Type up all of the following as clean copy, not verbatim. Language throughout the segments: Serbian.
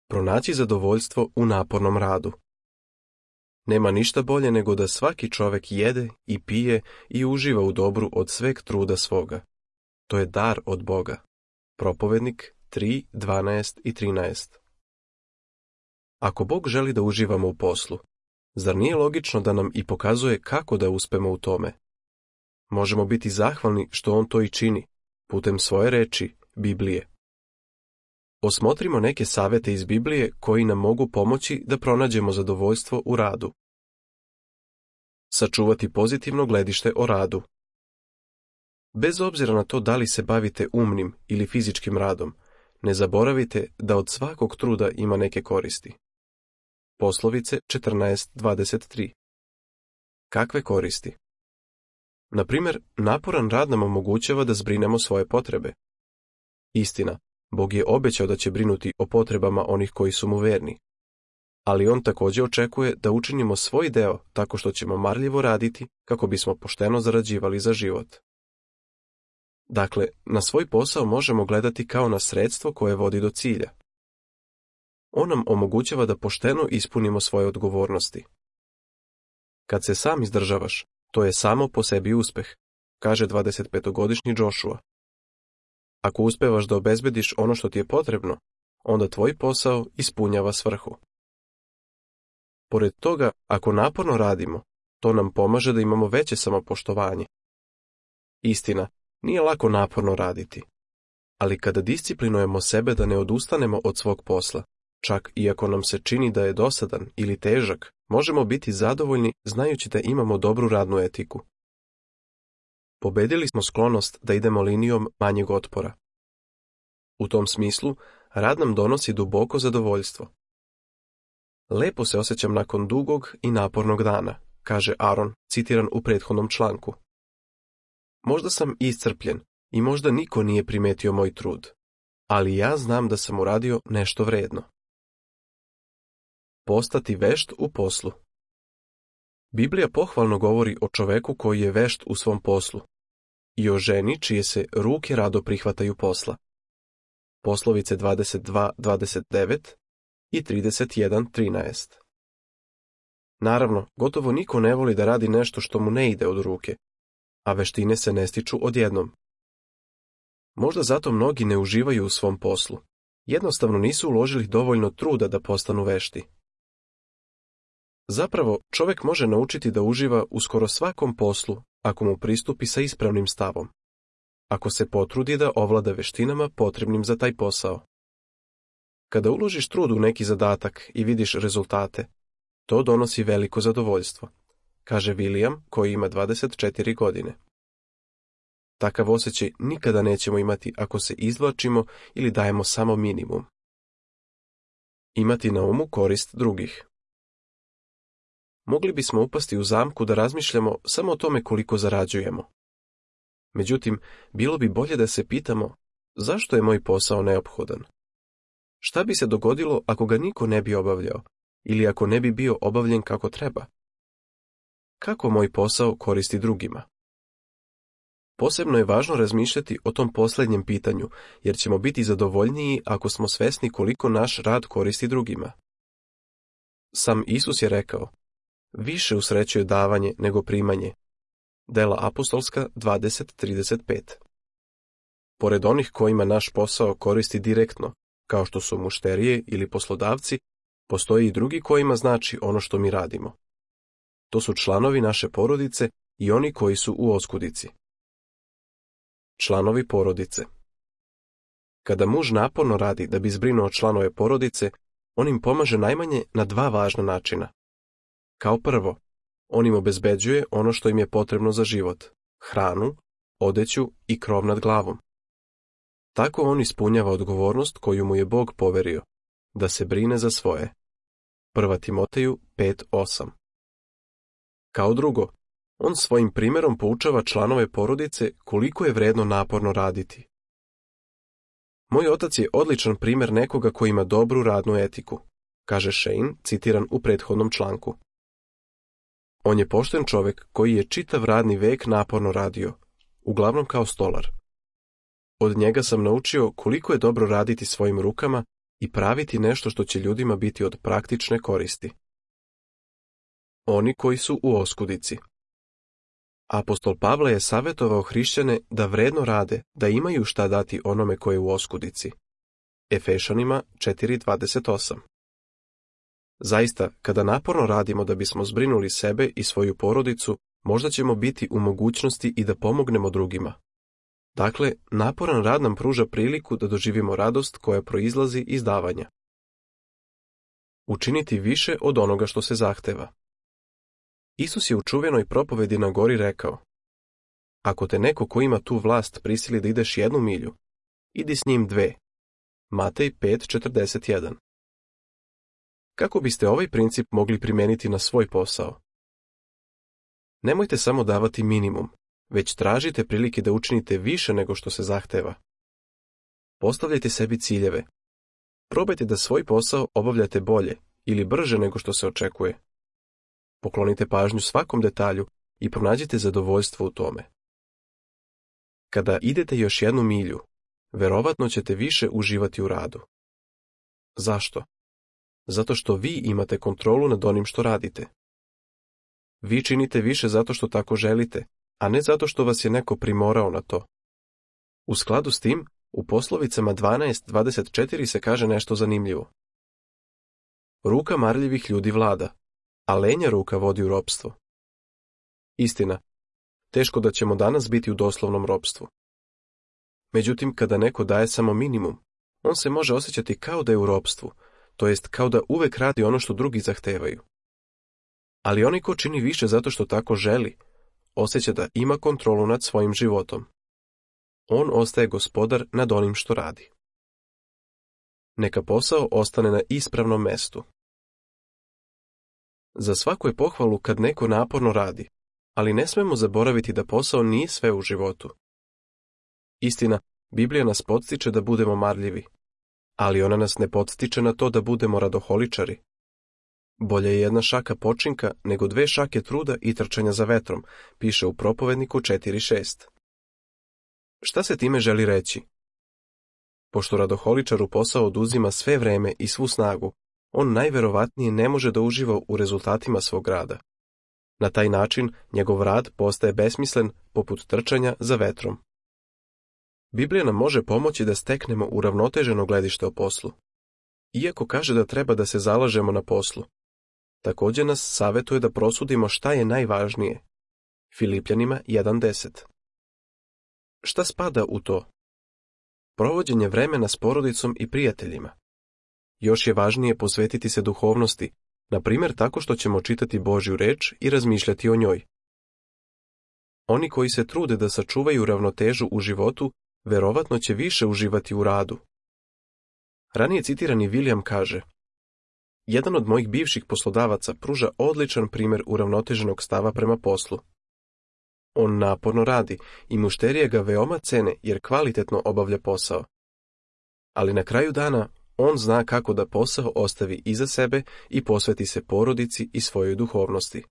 Pronaći zadovoljstvo u napornom radu. Nema ništa bolje nego da svaki čovjek jede i pije i uživa u dobru od sveg truda svoga. To je dar od Boga. Propovednik 3, 12 i 13. Ako Bog želi da uživamo u poslu, zar nije logično da nam i pokazuje kako da uspemo u tome? Možemo biti zahvalni što on to i čini, putem svoje reči, Biblije. Osmotrimo neke savjete iz Biblije koji nam mogu pomoći da pronađemo zadovoljstvo u radu. Sačuvati pozitivno gledište o radu. Bez obzira na to da li se bavite umnim ili fizičkim radom, ne zaboravite da od svakog truda ima neke koristi. Poslovice 14:23. Kakve koristi? Na primjer, naporan rad nam omogućava da zbrinemo svoje potrebe. Istina, Bog je obećao da će brinuti o potrebama onih koji su mu verni. Ali on također očekuje da učinimo svoj deo tako što ćemo marljivo raditi kako bismo pošteno zarađivali za život. Dakle, na svoj posao možemo gledati kao na sredstvo koje vodi do cilja. On nam omogućava da pošteno ispunimo svoje odgovornosti. Kad se sam izdržavaš, to je samo po sebi uspeh, kaže 25-godišnji Joshua. Ako uspevaš da obezbediš ono što ti je potrebno, onda tvoj posao ispunjava svrhu. Pored toga, ako naporno radimo, to nam pomaže da imamo veće samopoštovanje. Istina, nije lako naporno raditi, ali kada disciplinujemo sebe da ne odustanemo od svog posla, čak i ako nam se čini da je dosadan ili težak, možemo biti zadovoljni znajući da imamo dobru radnu etiku. Pobedili smo sklonost da idemo linijom manjeg otpora. U tom smislu, rad nam donosi duboko zadovoljstvo. Lepo se osjećam nakon dugog i napornog dana, kaže Aaron, citiran u prethodnom članku. Možda sam iscrpljen i možda niko nije primetio moj trud, ali ja znam da sam uradio nešto vredno. Postati vešt u poslu. Biblija pohvalno govori o čoveku koji je vešt u svom poslu i o ženi čije se ruke rado prihvataju posla. Poslovice 22:29 i 31:13. Naravno, gotovo niko ne voli da radi nešto što mu ne ide od ruke, a veštine se ne stiču odjednom. Možda zato mnogi ne uživaju u svom poslu. Jednostavno nisu uložili dovoljno truda da postanu vešti. Zapravo, čovjek može naučiti da uživa u skoro svakom poslu ako mu pristupi sa ispravnim stavom, ako se potrudi da ovlada veštinama potrebnim za taj posao. Kada uložiš trud u neki zadatak i vidiš rezultate, to donosi veliko zadovoljstvo, kaže William koji ima 24 godine. Takav osjećaj nikada nećemo imati ako se izvlačimo ili dajemo samo minimum. Imati na umu korist drugih. Mogli bismo upasti u zamku da razmišljamo samo o tome koliko zarađujemo. Međutim, bilo bi bolje da se pitamo zašto je moj posao neophodan. Šta bi se dogodilo ako ga niko ne bi obavljao ili ako ne bi bio obavljen kako treba? Kako moj posao koristi drugima? Posebno je važno razmišljati o tom posljednjem pitanju, jer ćemo biti zadovoljniji ako smo svesni koliko naš rad koristi drugima. Sam Isus je rekao, više usrećuje davanje nego primanje. Dela apostolska 20:35. Pored onih kojima naš posao koristi direktno, kao što su mušterije ili poslodavci, postoji i drugi kojima znači ono što mi radimo. To su članovi naše porodice i oni koji su u oskudici. Članovi porodice. Kada muž naporno radi da bi zbrinuo članove porodice, on im pomaže najmanje na dva važna načina. Kao prvo, on im obezbeđuje ono što im je potrebno za život, hranu, odeću i krov nad glavom. Tako on ispunjava odgovornost koju mu je Bog poverio, da se brine za svoje. 1. Timoteju 5:8. Kao drugo, on svojim primjerom poučava članove porodice koliko je vredno naporno raditi. Moj otac je odličan primjer nekoga koji ima dobru radnu etiku, kaže Shane, citiran u prethodnom članku. On je pošten čovjek koji je čitav radni vek naporno radio, uglavnom kao stolar. Od njega sam naučio koliko je dobro raditi svojim rukama i praviti nešto što će ljudima biti od praktične koristi. Oni koji su u oskudici. Apostol Pavle je savjetovao hrišćane da vredno rade, da imaju šta dati onome koji je u oskudici. Efešanima 4:28. Zaista, kada naporno radimo da bismo zbrinuli sebe i svoju porodicu, možda ćemo biti u mogućnosti i da pomognemo drugima. Dakle, naporan rad nam pruža priliku da doživimo radost koja proizlazi iz davanja. Učiniti više od onoga što se zahteva. Isus je u čuvenoj propovedi na gori rekao: ako te neko ko ima tu vlast prisili da ideš 1 milju, idi s njim 2. Matej 5:41. Kako biste ovaj princip mogli primijeniti na svoj posao? Nemojte samo davati minimum, već tražite prilike da učinite više nego što se zahteva. Postavljajte sebi ciljeve. Probajte da svoj posao obavljate bolje ili brže nego što se očekuje. Poklonite pažnju svakom detalju i pronađite zadovoljstvo u tome. Kada idete još 1 milju, verovatno ćete više uživati u radu. Zašto? Zato što vi imate kontrolu nad onim što radite. Vi činite više zato što tako želite, a ne zato što vas je neko primorao na to. U skladu s tim, u poslovicama 12:24 se kaže nešto zanimljivo. Ruka marljivih ljudi vlada, a lenja ruka vodi u ropstvo. Istina, teško da ćemo danas biti u doslovnom ropstvu. Međutim, kada neko daje samo minimum, on se može osjećati kao da je u ropstvu, to jest kao da uvek radi ono što drugi zahtevaju. Ali onaj ko čini više zato što tako želi, osjeća da ima kontrolu nad svojim životom. On ostaje gospodar nad onim što radi. Neka posao ostane na ispravnom mestu. Za svaku je pohvalu kad neko naporno radi, ali ne smemo zaboraviti da posao nije sve u životu. Istina, Biblija nas podstiče da budemo marljivi, ali ona nas ne podstiče na to da budemo radoholičari. Bolje je 1 šaka počinka nego 2 šake truda i trčanja za vetrom, piše u Propovedniku 4:6. Šta se time želi reći? Pošto radoholičaru posao oduzima sve vreme i svu snagu, on najverovatnije ne može da uživa u rezultatima svog rada. Na taj način njegov rad postaje besmislen poput trčanja za vetrom. Biblija nam može pomoći da steknemo uravnoteženo gledište o poslu. Iako kaže da treba da se zalažemo na poslu, također nas savjetuje da prosudimo šta je najvažnije. Filipljanima 1:10. Šta spada u to? Provođenje vremena s porodicom i prijateljima. Još je važnije posvetiti se duhovnosti, na primjer tako što ćemo čitati Božju reč i razmišljati o njoj. Oni koji se trude da sačuvaju ravnotežu u životu, verovatno će više uživati u radu. Ranije citirani William kaže: jedan od mojih bivših poslodavaca pruža odličan primjer uravnoteženog stava prema poslu. On naporno radi i mušterije ga veoma cene jer kvalitetno obavlja posao. Ali na kraju dana on zna kako da posao ostavi iza sebe i posveti se porodici i svojoj duhovnosti.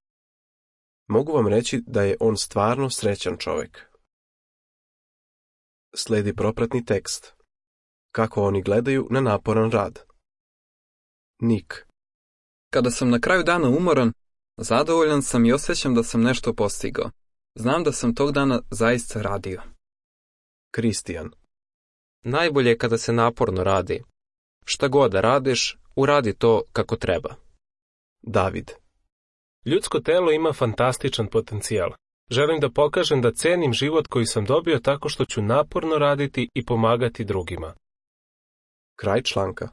Mogu vam reći da je on stvarno srećan čovjek. Slijedi propratni tekst. Kako oni gledaju na naporan rad. Nik. Kada sam na kraju dana umoran, zadovoljan sam i osjećam da sam nešto postigao. Znam da sam tog dana zaista radio. Kristijan. Najbolje je kada se naporno radi. Šta god da radiš, uradi to kako treba. David. Ljudsko telo ima fantastičan potencijal. Želim da pokažem da cenim život koji sam dobio tako što ću naporno raditi i pomagati drugima. Kraj članka.